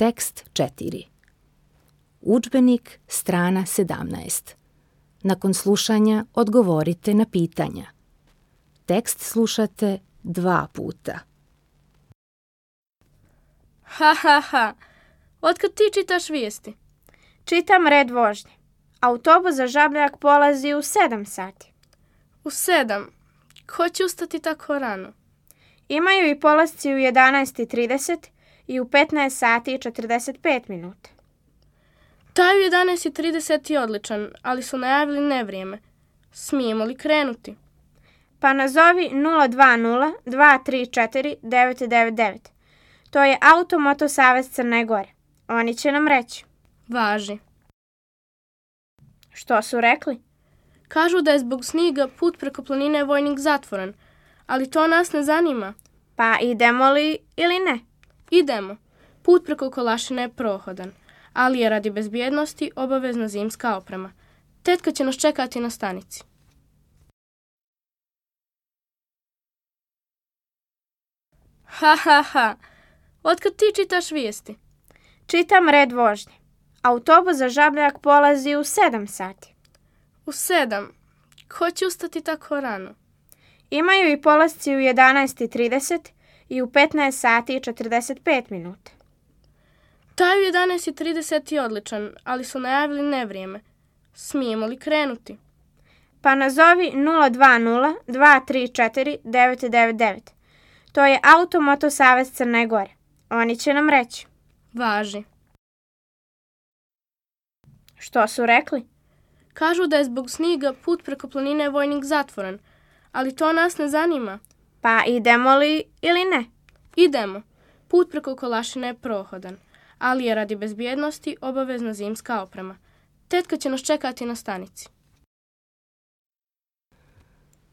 Tekst 4. Udžbenik, strana 17. Nakon slušanja odgovorite na pitanja. Tekst slušate 2 puta. Ha, ha, ha. Otkad ti čitaš vijesti? Čitam red vožnje. Autobus za Žabljak polazi u 7 sati. U 7. Ko će ustati tako rano? Imaju i polasci u 11:30 i u 15 sati i 45 minuta. Taj u 11:30 je odličan, ali su najavili nevrijeme. Smijemo li krenuti? Pa nazovi 020-234-999. To je Automoto Savez Crne Gore. Oni će nam reći. Važi. Što su rekli? Kažu da je zbog snijega put preko planine Vojnik zatvoren, ali to nas ne zanima. Pa idemo li ili ne? Idemo. Put preko Kolašina je prohodan, ali je radi bezbjednosti obavezna zimska oprema. Tetka će nas čekati na stanici. Ha, ha, ha. Otkad ti čitaš vijesti? Čitam red vožnje. Autobus za Žabljak polazi u 7 sati. U 7. Ko će ustati tako rano? Imaju i polasci u 11:30 i u 15 sati i 45 minuta. Taj u 11:30 je odličan, ali su najavili nevrijeme. Smijemo li krenuti? Pa nazovi 020-234-999. To je Automoto Savez Crne Gore. Oni će nam reći. Važi. Što su rekli? Kažu da je zbog snijega put preko planine Vojnik zatvoren, ali to nas ne zanima. Pa idemo li ili ne? Idemo. Put preko Kolašina je prohodan, ali je radi bezbjednosti obavezna zimska oprema. Tetka će nas čekati na stanici.